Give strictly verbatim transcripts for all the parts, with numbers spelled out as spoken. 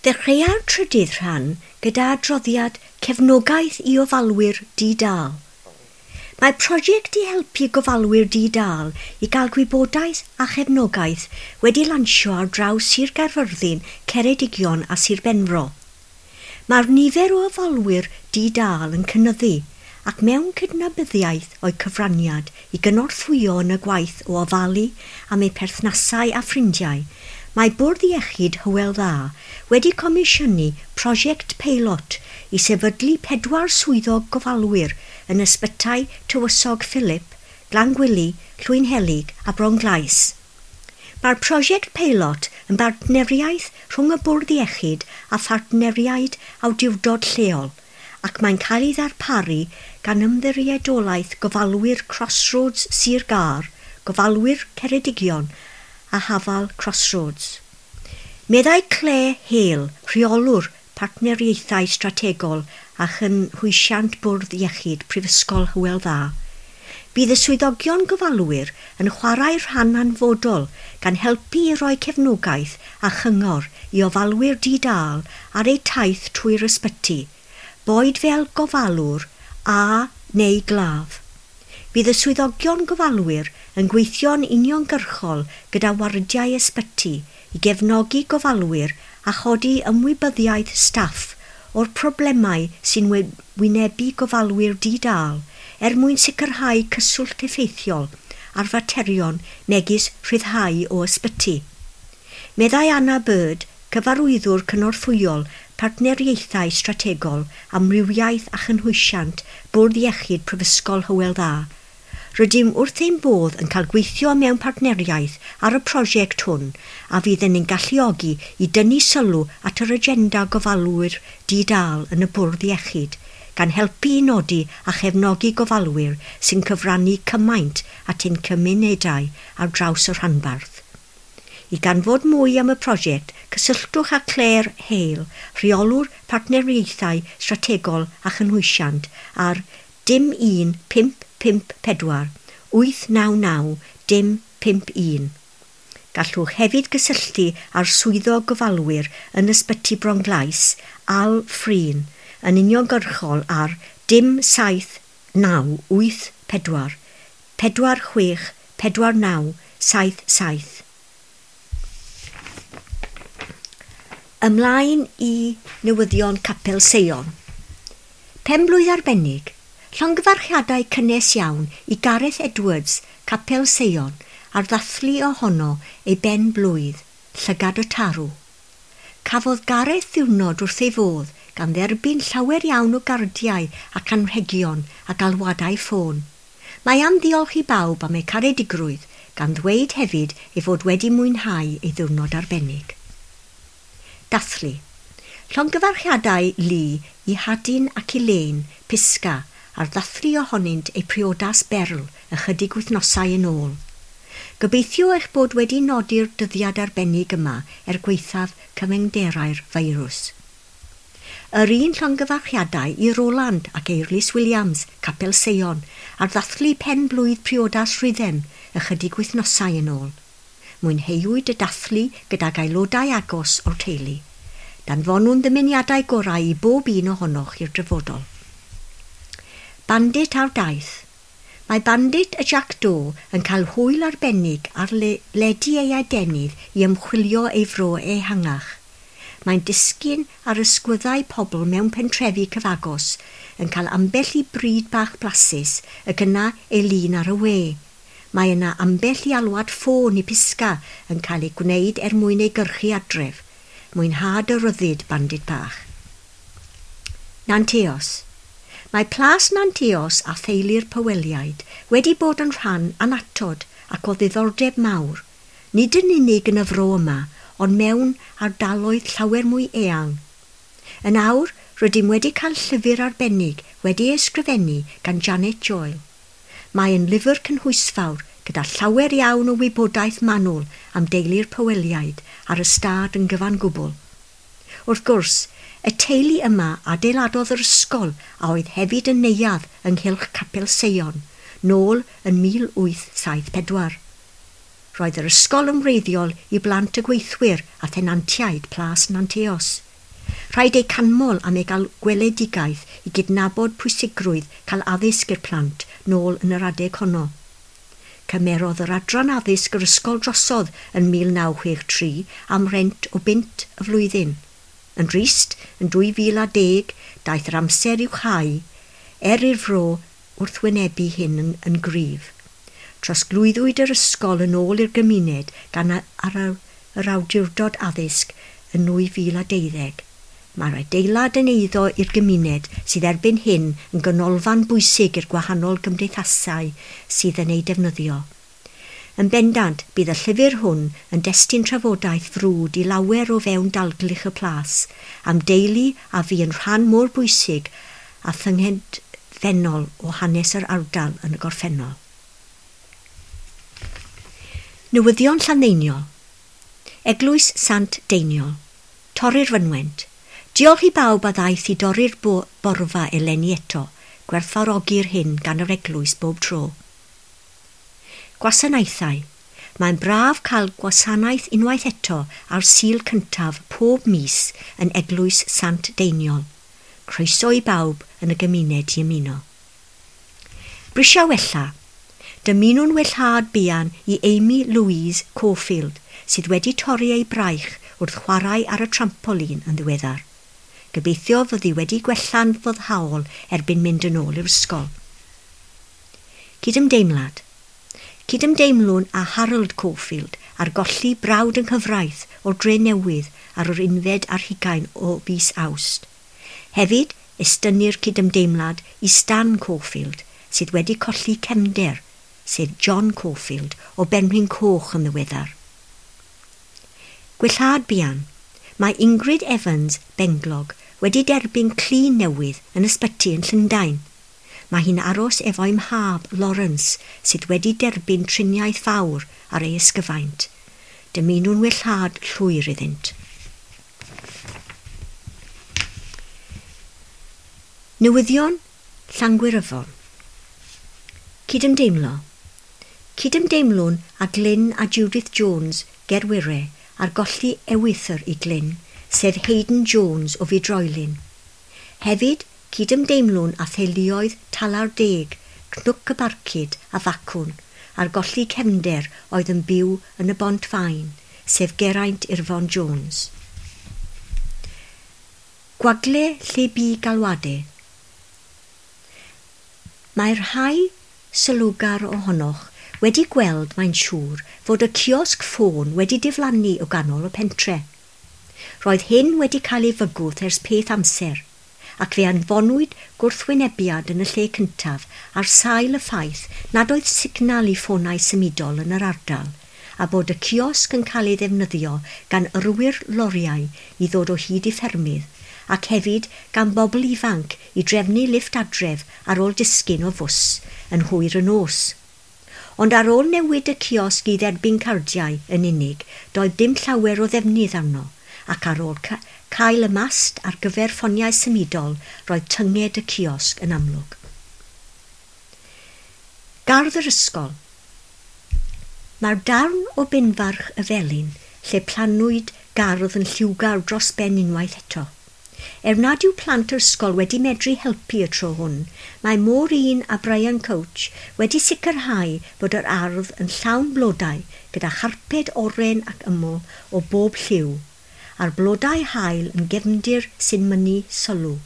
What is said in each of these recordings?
Dechreua'r trydydd rhan gyda adroddiad cefnogaeth i ofalwyr di-dâl. Mae prosiect i helpu gofalwyr di-dâl i gael gwybodaeth a chefnogaeth wedi lansio ar draws Sir Gaerfyrddin, Ceredigion a Sir Benfro. Mae'r nifer o ofalwyr di-dâl yn cynyddu ac mewn cydnabyddiaeth o'u cyfraniad i gynorthwyo yn y gwaith o ofalu am eu perthnasau a ffrindiau, mae Bwrdd Iechyd Hywel Dda wedi comisiynu prosiect peilot i sefydlu pedwar swyddog gofalwyr yn ysbytai Tywysog Philip, Glangwili, Llwynhelyg a Bronglais. Mae'r prosiect peilot yn bartneriaeth rhwng y Bwrdd Iechyd a phartneriaid awdurdod lleol ac mae'n cael ei ddarparu gan Ymddiriedolaeth Gofalwyr Crossroads Sir Gâr, Gofalwyr Ceredigion a Hafal Crossroads. Meddai Claire Hale, rheolwr partneriaethau strategol a chynhwysiant Bwrdd Iechyd Prifysgol Hywel Dda. Bydd y swyddogion gofalwyr yn chwarae rhan hanfodol gan helpu i roi cefnogaeth a chyngor i ofalwyr di-dâl ar eu taith trwy'r ysbyty, boed fel gofalwr a neu glaf. Bydd y swyddogion gofalwyr yn gweithio'n uniongyrchol gyda wardiau ysbyty i gefnogi gofalwyr a chodi ymwybyddiaeth staff o'r problemau sy'n wynebu gofalwyr di-dâl er mwyn sicrhau cyswllt effeithiol ar faterion megis rhyddhau o ysbyty. Meddai Anna Bird, cyfarwyddwr cynorthwyol partneriaethau strategol, amrywiaeth a chynhwysiant Bwrdd Iechyd Prifysgol Hywel Dda. Rydym wrth ein bodd yn cael gweithio mewn partneriaeth ar y prosiect hwn a fydd yn ein galluogi i dynnu sylw at yr agenda gofalwyr di-dâl yn y Bwrdd Iechyd, gan helpu i nodi a chefnogi gofalwyr sy'n cyfrannu cymaint at ein cymunedau ar draws y rhanbarth. I ganfod mwy am y prosiect, cysylltwch â Claire Hale, rheolwr partneriaethau strategol a chynhwysiant ar dim un pump pump pedwar wyth naw naw dim pump un. Gallwch hefyd gysylltu â'r swyddog gofalwyr yn ysbyty Bronglais, Al Freen, yn uniongyrchol ar dim saith naw wyth pedwar pedwar chwech pedwar naw saith saith. Ymlaen i newyddion Capel Seion. Pen-blwydd arbennig, llongyfarchiadau cynnes iawn i Gareth Edwards, Capel Seion, ar ddathlu ohono ei ben-blwydd, Llygad y Tarw. Cafodd Gareth ddiwrnod wrth ei fodd gan dderbyn llawer iawn o gardiau ac anrhegion a galwadau ffôn. Mae am ddiolch i bawb am eu caredigrwydd, gan ddweud hefyd ei fod wedi mwynhau ei ddiwrnod arbennig. Dathlu. Llongyfarchiadau lu i Hadyn ac Elaine, Pisga, ar ddathlu ohonynt eu priodas berl ychydig wythnosau yn ôl. Gobeithio eich bod wedi nodi'r dyddiad arbennig yma er gwaethaf cyfyngderau'r feirws. Yr un llongyfarchiadau i Roland ac Eirlys Williams, Capel Seion, ar ddathlu pen-blwydd priodas Rhuddem ychydig wythnosau yn ôl. Mwynheuwyd y dathlu gydag aelodau agos o'r teulu. Danfonwn ddymuniadau gorau i bob un ohonoch i'r dyfodol. Bandit ar daith. Mae Bandit y Jack Do yn cael hwyl arbennig ar le ledu ei adenydd i ymchwilio ei fro ehangach. Mae'n disgyn ar ysgwyddau pobl mewn pentrefi cyfagos, yn cael ambell i bryd bach blasus ac yna ei lun ar y we. Mae yna ambell i alwad ffôn i Pisga yn cael ei gwneud er mwyn ei gyrchu adref. Mwynhad y ryddid, Bandit bach. Nanteos. Mae Plas Nanteos a theulu'r Poweliaid wedi bod yn rhan annatod ac o ddiddordeb mawr, nid yn unig yn y fro yma, ond mewn ardaloedd llawer mwy eang. Yn awr, rydym wedi cael llyfr arbennig wedi ei ysgrifennu gan Janet Joel. Mae yn lyfr cynhwysfawr gyda llawer iawn o wybodaeth manwl am deulu'r Poweliaid ar y stad yn gyfan gwbl. Wrth gwrs, y teulu yma adeiladodd yr ysgol a oedd hefyd yn neuadd ynghylch Capel Seion, nôl yn mil wyth saith pedwar. Roedd yr ysgol yn wreiddiol i blant y gweithwyr a thenantiaid Plas Nanteos. Rhaid eu canmol am eu gael gweledigaeth i gydnabod pwysigrwydd cael addysg i'r plant nôl yn yr adeg honno. Cymerodd yr adran addysg yr ysgol drosodd yn mil naw chwech tri am rent o bunt y flwyddyn. Yn drist, yn dwy fil a deg, daeth yr amser i'w chau, er i'r fro wrthwynebu hyn yn, yn gryf. Trosglwyddwyd yr ysgol yn ôl i'r gymuned gan ar yr awdurdod addysg yn nwy fil a deuddeg. Mae'r adeilad yn eiddo i'r gymuned sydd erbyn hyn yn ganolfan bwysig i'r gwahanol gymdeithasau sydd yn ei defnyddio. Yn bendant, bydd y llyfr hwn yn destun trafodaeth frwd i lawer o fewn dalgylch y plas, am deulu a fu yn rhan mor bwysig a thyngedfennol o hanes yr ardal yn y gorffennol. Newyddion Llanddeiniol. Eglwys Sant Deiniol. Torri'r fynwent. Diolch i bawb a ddaeth i dorri'r borfa eleni eto, gwerthfawrogi'r hyn gan yr eglwys bob tro. Gwasanaethau. Mae'n braf cael gwasanaeth unwaith eto ar Sul cyntaf pob mis yn Eglwys Sant Deiniol. Croeso i bawb yn y gymuned i ymuno. Brysia wella. Dymunwn wellhad buan i Amy Louise Caulfield, sydd wedi torri ei braich wrth chwarae ar y trampolin yn ddiweddar. Gobeithio fyddi wedi gwella'n foddhaol erbyn mynd yn ôl i'r ysgol. Cydymdeimlad. Cydymdeimlwn â Harold Caulfield ar golli brawd yng nghyfraith o'r Dre Newydd ar yr unfed ar hugain o fis Awst. Hefyd, estynnir cydymdeimlad i Stan Caulfield, sydd wedi colli cefnder, sef John Caulfield o Benrhyn Coch yn ddiweddar. Gwellhad buan. Mae Ingrid Evans, Benglog, wedi derbyn clun newydd yn ysbyty yn Llundain. Mae hi'n aros efo'i mhab, Lawrence, sydd wedi derbyn triniaeth fawr ar ei ysgyfaint. Dymunwn wellhad llwyr iddynt. Newyddion Llangwyryfon. Cydymdeimlo. Cydymdeimlwn â Glyn a Judith Jones Gerwire ar golli ewythr i Glyn, sef Hayden Jones o Fydroilyn. Hefyd, cydymdeimlwn â theuluoedd Talar Deg, Cnwc y Barcud a Facwn, ar golli cefnder oedd yn byw yn y Bont Faen, sef Geraint Irfon Jones. Gwagle lle bu galwadau. Mae'r rhai sylwgar ohonoch wedi gweld, mae'n siŵr, fod y ciosg ffôn wedi diflannu o ganol y pentre. Roedd hyn wedi cael ei fygwth ers peth amser, ac fe anfonwyd gwrthwynebiad yn y lle cyntaf ar sail y ffaith nad oedd signal i ffonau symudol yn yr ardal, a bod y ciosg yn cael ei ddefnyddio gan yrwyr loriau i ddod o hyd i ffermydd, ac hefyd gan bobl ifanc i drefnu lifft adref ar ôl disgyn o fws yn hwyr y nos. Ond ar ôl newid y ciosg i dderbyn cardiau yn unig, doedd dim llawer o ddefnydd arno, ac ar ôl ca cael y mast ar gyfer ffoniau symudol, roedd tynged y ciosg yn amlwg. Gardd yr ysgol. Mae'r darn o benfarch y Felin, lle plannwyd gardd yn lliwgar dros ben unwaith eto. Er nad yw plant yr ysgol wedi medru helpu y tro hwn, mae Maureen a Brian Coach wedi sicrhau bod yr ardd yn llawn blodau gyda charped oren ac yml o bob lliw, a'r blodau haul yn gefndir sy'n mynnu sylw.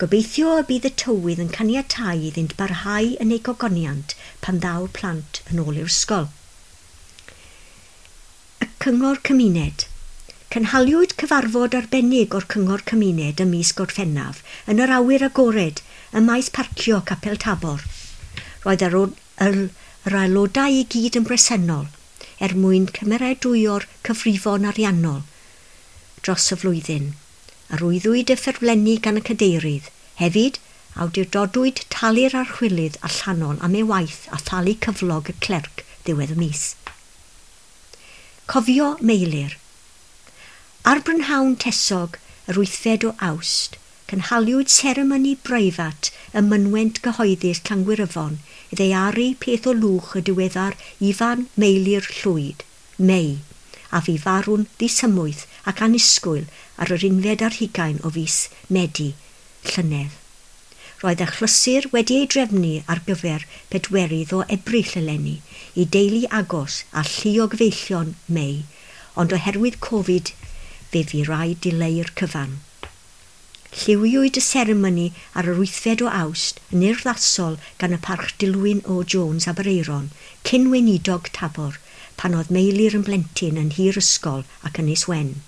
Gobeithio y bydd y tywydd yn caniatáu iddynt barhau yn eu gogoniant pan ddaw'r plant yn ôl i'r ysgol. Y Cyngor Cymuned. Cynhaliwyd cyfarfod arbennig o'r Cyngor Cymuned ym mis Gorffennaf yn yr awyr agored ym maes parcio Capel Tabor. Roedd yr, yr, yr aelodau i gyd yn bresennol er mwyn cymeradwyo'r cyfrifon ariannol dros y flwyddyn. Arwyddwyd y ffurflenni gan y cadeirydd. Hefyd, awdurdodwyd talu'r archwilydd allanol am ei waith a thalu cyflog y clerc ddiwedd y mis. Cofio Meilir. Ar brynhawn tesog yr wythfed o Awst, cynhaliwyd seremoni breifat ym mynwent gyhoeddus Llangwyryfon i ddaearu peth o lwch y diweddar Ifan Meilir Llwyd, Mei, a fu farw'n ddisymwyth ac annisgwyl ar yr unfed ar hugain o fis Medi llynedd. Roedd achlysur wedi ei drefnu ar gyfer pedwerydd o Ebrill eleni i deulu agos a llu o gyfeillion Mei, ond oherwydd Covid fe fu raid dileu'r cyfan. Lliwiwyd y seremoni ar yr wythfed o Awst yn urddasol gan y Parch Dilwyn O Jones Aberaeron, cyn weinidog Tabor, pan oedd Meilir yn blentyn yn nhir ysgol ac Ynys Wen.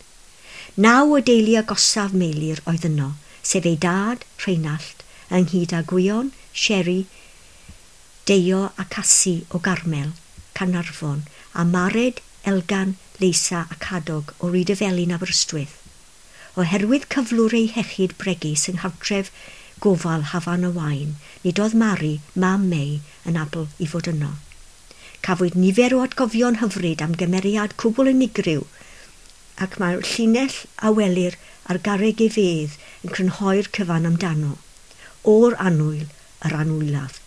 Naw o deulu agosaf Meilir oedd yno, sef ei dad, Rheinallt, ynghyd â Gwion, Sherry, Deio a Casi o Garmel, Caernarfon, a Mared, Elgan, Leisa a Cadog o Rydyfelin Aberystwyth. Oherwydd cyflwr ei hiechyd bregus yng nghartref gofal Hafan y Waun, nid oedd Mari, mam Mei, yn abl i fod yno. Cafwyd nifer o atgofion hyfryd am gymeriad cwbl unigryw, ac mae'r llinell a welir ar garreg ei fedd yn crynhoi'r cyfan amdano. O'r annwyl, yr anwylaf.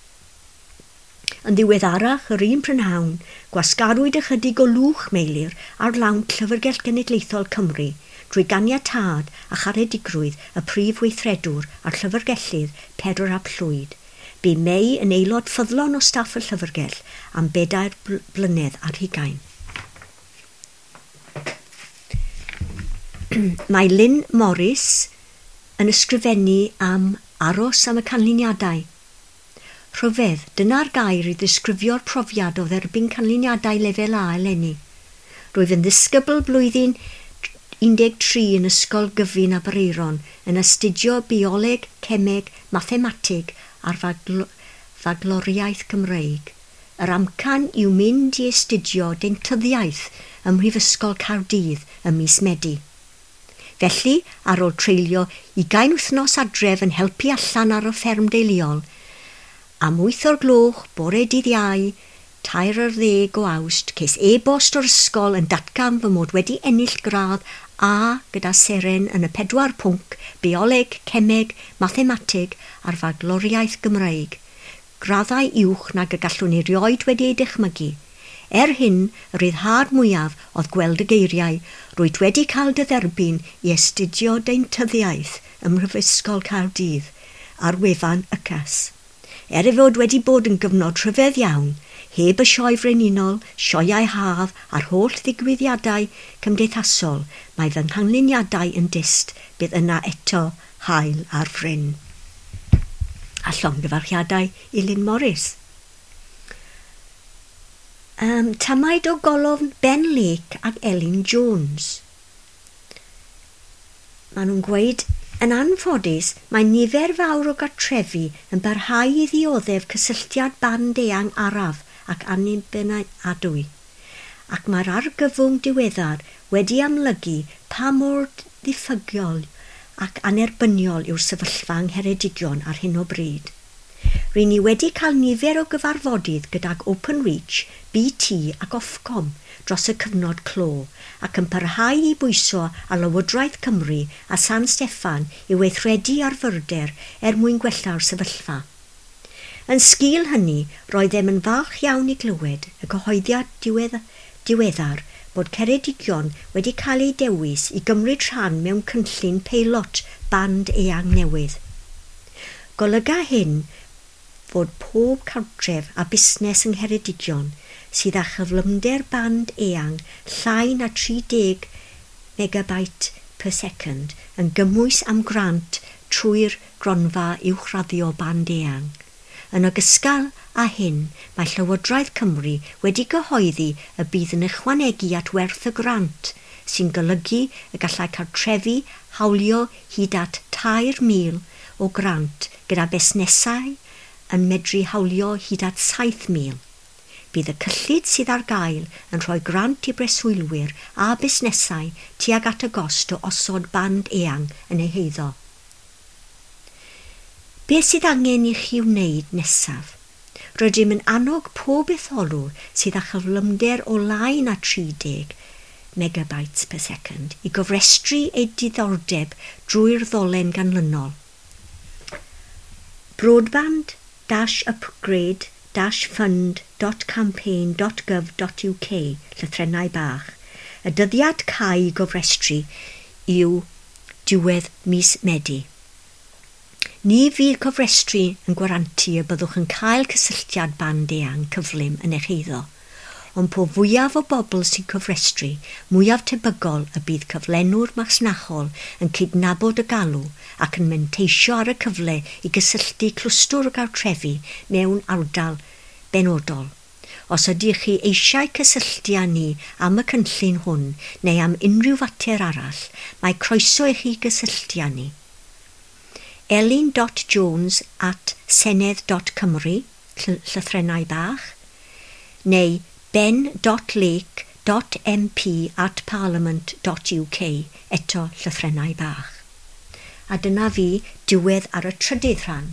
Yn ddiweddarach, yr un prynhawn, gwasgarwyd ychydig o lwch Meilir ar lawnt Llyfrgell Genedlaethol Cymru drwy ganiatâd a charedigrwydd y prif weithredwr a'r llyfrgellydd Pedr ap Llwyd. Bu Mei yn aelod ffyddlon o staff y llyfrgell am bedair blynedd ar hugain. Mae Lynn Morris yn ysgrifennu am aros am y canlyniadau. Rhyfedd, dyna'r gair i ddisgrifio'r profiad o dderbyn canlyniadau lefel A eleni. Rwyf yn ddisgybl blwyddyn un deg tri yn Ysgol Gyfun Aberaeron yn astudio bioleg, cemeg, mathemateg a'r fagloriaeth Gymreig. Yr amcan yw mynd i astudio deintyddiaeth ym Mhrifysgol Caerdydd ym mis Medi. Felly, ar ôl treulio ugain wythnos adref yn helpu allan ar y fferm deuluol, am wyth o'r gloch, bore dydd Iau, tair ar ddeg o Awst, ces e-bost o'r ysgol yn datgan fy mod wedi ennill gradd A gyda seren yn y pedwar pwnc, bioleg, cemeg, mathemateg a'r fagloriaeth Gymreig. Graddau uwch nag y gallwn erioed wedi ei dychmygu. Er hyn, y ryddhad mwyaf oedd gweld y geiriau, rwyt wedi cael dy dderbyn i astudio deintyddiaeth ym Mhrifysgol Caerdydd ar wefan Y C A S. Er ei fod wedi bod yn gyfnod rhyfedd iawn, heb y sioe frenhinol, sioeau haf a'r holl ddigwyddiadau cymdeithasol, mae fy nghanlyniadau yn dyst bydd yna eto haul ar fryn. A llongyfarchiadau i Lynn Morris. Um, tamaid o golofn Ben Lake ac Elin Jones. Maen nhw'n gweud, yn anffodus, mae nifer fawr o gartrefi yn barhau i ddioddef cysylltiad band eang araf ac annibynadwy, ac mae'r argyfwng diweddar wedi amlygu pa mor ddiffygiol ac annerbyniol yw'r sefyllfa yng Ngheredigion ar hyn o bryd. Ry'n ni wedi cael nifer o gyfarfodydd gydag Openreach, B T ac Ofcom dros y cyfnod clo ac yn parhau i bwyso ar Lywodraeth Cymru a San Steffan i weithredu ar fyrder er mwyn gwella'r sefyllfa. Yn sgil hynny, roeddem yn falch iawn i glywed y cyhoeddiad diwedd diweddar bod Ceredigion wedi cael ei dewis i gymryd rhan mewn cynllun peilot band eang newydd. Golyga hyn fod pob cartref a busnes yng Ngheredigion sydd â chyflymder band eang llai na tri deg megabyte per second yn gymwys am grant trwy'r gronfa uwchraddio band eang. Yn ogystal â hyn, mae Llywodraeth Cymru wedi gyhoeddi y bydd yn ychwanegu at werth y grant, sy'n golygu y gallai cartrefi hawlio hyd at tair mil o grant gyda busnesau yn medru hawlio hyd at saith mil. Bydd y cyllid sydd ar gael yn rhoi grant i breswylwyr a busnesau tuag at y gost o osod band eang yn eu heiddo. Beth sydd angen i chi wneud nesaf? Rydym yn annog pob etholwr sydd â chyflymder o lai na tri deg megabytes per second i gofrestru eu diddordeb drwy'r ddolen ganlynol. Broadband dash upgrade dash fund dot campaign dot gov dot U K, llythrennau bach, Y dyddiad cau i gofrestru yw diwedd mis Medi. Ni fydd cofrestru yn gwarantu y byddwch yn cael cysylltiad band eang cyflym yn eich eiddo, ond po fwyaf o bobl sy'n cofrestru, mwyaf tebygol y bydd cyflenwr masnachol yn cydnabod y galw ac yn manteisio ar y cyfle i gysylltu clwstwr o gartrefi mewn ardal benodol. Os ydych chi eisiau cysylltu â ni am y cynllun hwn neu am unrhyw fater arall, mae croeso i chi gysylltu â ni. elin dot jones at senedd dot cymru, llythrennau bach, neu ben dot lake dot M P at parliament dot U K, eto llythrennau bach. A dyna fi, diwedd ar y trydydd rhan.